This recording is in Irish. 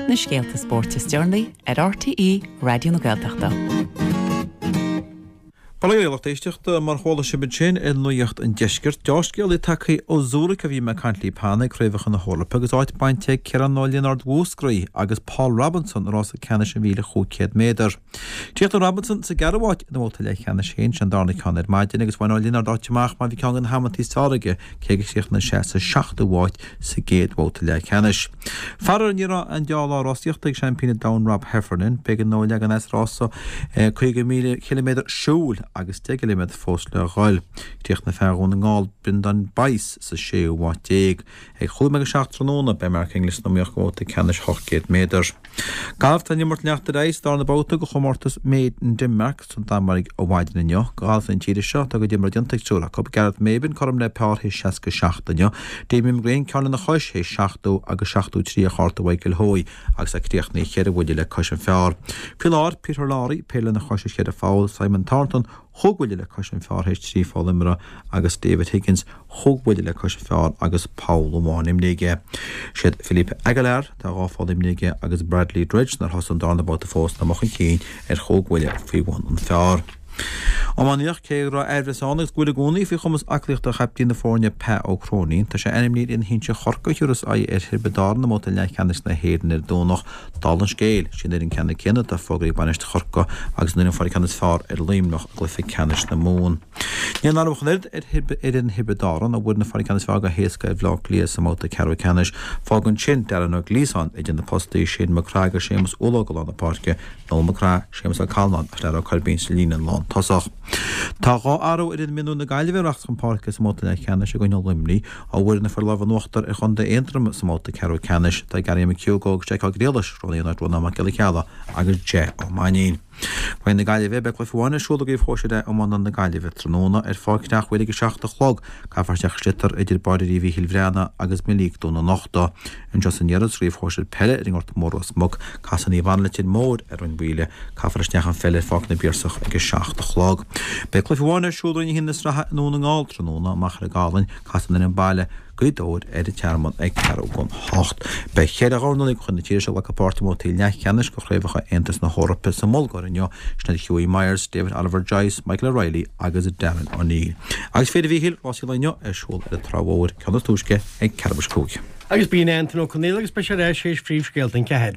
Na scéalta spóirt is deireanaí ar RTÉ Raidió na Gaeltachta. Bail ó Dhia ar lucht éisteachta, mar chuala sibh ansin ar Nuacht an Deiscirt, deá-scéalaí tagtha ó Zurich ó bhí mé ag caint libh cheana ag Craobhacha na hEorpa agus áit bainte ag Ciarán Ó Lionáird Mhúscraí agus Paul Robinson i rása ceannais an 1500 méadar. Chríochnaigh Robinson sa gceathrú háit ina bhabhta leathcheannais féin, sin an darna ceann ar maidin, agus bhain Ó Lionáird áit amach mar bhí ceann de na hamantaí is fearr aige cé gur chríochnaigh sé sa seachtú háit sa gcéad bhabhta leathcheannais. Faraor ní raibh aon deá-lá rásaíochta ag seaimpín an domhain Rob Heffernan. B'éigean dó leagan as rása 50,000 ciliméadar siúil agus 10 gciliméadar fós le dhul. Chríochnaigh fear Dhún na nGall Brendan Bice sa séú háit déag. Ag chúig nóiméad go 7 tráthnóna beidh Mark Inglis san iomaíocht do bhabhta ceannais 800 méadar. Galf Tá an imirt ag leanacht ar aghaidh sa darna babhta de chomórtas Made in Denmark sa Danmhairg ó mhaidin inniu. Do ghalfaithe na tíre seo, tá a gcuid imeartha déanta ag triúr acu, Gareth Maybin cothrom le pár théis 67 inniu, Damien McGrane ceann lena chois théis 70 agus 73 ar chárta Mhichael Hoey agus é críochnaithe cheithre bhuille le cois an phár. Faoi láthair, Peter Lawrie, péire lena chois théis cheithre pholl, Simon Thornton, chúig bhuille le cois an phár théis trí pholl imeartha agus David Higgins chúig bhuille le cois an phár agus poll amháin imrithe aige. Siad Felipe Aguilar, tá dhá pholl imrithe aige, agus Bradley Dredge nár thosaigh an darna babhta fós atá amuigh chun cinn ar chúig bhuille faoi bhun an phár. Iománaíocht, Cé go raibh aimhreas ann agus go bhfuil i gcónaí faoi chumas aclaíochta chaiptín na foirne Pa Ó Cróinín, tá sé ainmnithe ar fhoireann shinsir Chorcaí a thiúrfas aghaidh ar Thiobraid Árann i mbabhta leathcheannais na hÉireann ar an Domhnach. Dála an scéil, sí an fhoireann ceanna céanna atá fógraithe ag bainisteoir Chorcaí agus an fhoireann a fuair an ceann is fearr ar Luimneach i gcluiche ceannais na Mumhan. Ní aon athrú ach an oiread ar fhoireann Thiobraid Árann, a bhfuair na fuair an ceann is fearr go héasca ar Bhaile Átha Cliath sa mbabhta ceathrú ceannais. Fágann sin Darren Ó Giosáin idir na postaí, Shane McGrath agus Séamus Ulóg i lár na páirce, Noel McGrath, Séamus Ó Callanáin agus Lara Ó Coirbín sa líne lántosach. Tá dhá athrú ar fhoireann mionúir na Gaillimhe a rachas chun páirce sa mbabhta leathcheannais i gcoinne Luimnigh. Ó bhfuair na fir lámh in uachtar ar chontae Aontroma sa mbabhta ceathrú ceannais, tá Gary McHugh agus Jack Ó Griallais roghnaithe in áit Rónán Mac Giolla Cheallaigh agus Jeff Ó Mainnín. Roinn na Gaillimhe, Beidh cluiche amháin ar siúl i gCraobh Shóisir A Iomána na Gaillimhe tráthnóna ar Pháirc Theach Mhuire ag 7 a chlog. Caithfear isteach sliotar idir Báire Mhíchíl Bhreathnaigh agus Meilíoc Dún an Uchta. Anseo san iarthar, sa gCraobh Shóisir Peile ar an nGort Mór Ros Muc, casfaidh Naomh Anna Leitir Móir ar Rinn Mhaoile. Caithfear isteach an pheil ar Pháirc na bPiarsach ag 7 a chlog. Beidh cluiche amháin ar siúl i Roinn 1 na Sraithe i nDún na nGall tráthnóna, Machaire Gathlán, Casfaidh an fhoireann baile, Gaoth Dobhair ar an Tearmann ag ceathrú don hocht. Beidh cheithre dhornálaí de chuid na tíre seo ag glacadh páirte i mbabhtaí leathcheannais de Chraobhacha Aontas na hEorpa sa mBulgáir inniu, sin iad Hughie Myers, David Oliver Joyce, Michael O'Reilly agus Darren O'Neill. Agus féile Mhíchíl, rásaí an lae inniu ar siúl ar an Trá Mhór, ceann is túisce ag ceathrú tar éis a cúig. Agus b'in Antain Ó Conaola agus beidh sé ar ais théis phríomhscéalta an ceathair.